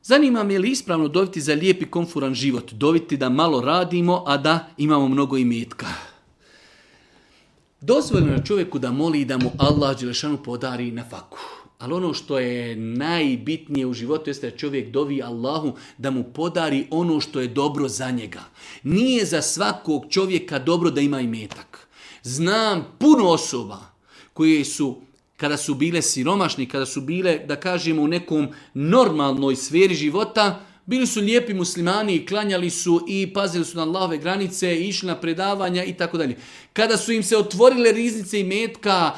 Zanima me je li ispravno doviti za lijep i komforan život, doviti da malo radimo, a da imamo mnogo imetka. Dozvoljeno je čovjeku da moli da mu Allah dželešanu podari na faku. Ali ono što je najbitnije u životu jeste da čovjek dovi Allahu da mu podari ono što je dobro za njega. Nije za svakog čovjeka dobro da ima imetak. Znam puno osoba koje su, kada su bile siromašni, kada su bile, da kažemo, u nekom normalnoj sferi života, bili su lijepi muslimani i klanjali su i pazili su na Allahove granice, i išli na predavanja i tako dalje. Kada su im se otvorile riznice imetka,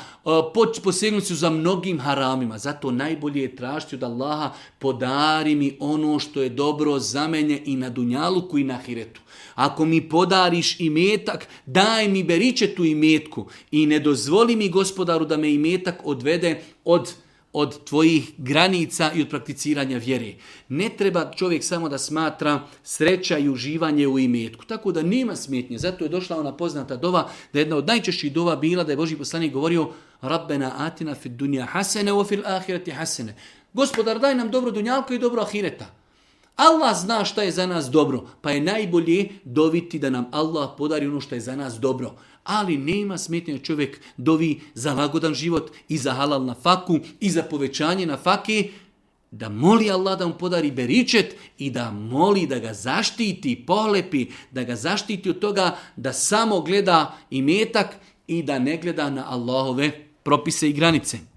posegnuti su za mnogim haramima. Zato najbolje je tražiti od Allaha, podari mi ono što je dobro za mene i na dunjaluku i na ahiretu. Ako mi podariš imetak, daj mi beričetu imetku i ne dozvoli mi, Gospodaru, da me imetak odvede od tvojih granica i od prakticiranja vjere. Ne treba čovjek samo da smatra sreća i uživanje u imetku. Tako da nema smetnje. Zato je došla ona poznata dova, da jedna od najčešćih dova bila da je Božji poslanik govorio Rabbena atina fid dunja hasene wa fil ahireti hasene. Gospodar, daj nam dobro dunjalko i dobro ahireta. Allah zna šta je za nas dobro, pa je najbolje doviti da nam Allah podari ono što je za nas dobro. Ali nema smetnje čovjek dovi za lagodan život i za halal na faku i za povećanje na fake, da moli Allah da mu podari beričet i da moli da ga zaštiti, pohlepi, da ga zaštiti od toga da samo gleda imetak i da ne gleda na Allahove propise i granice.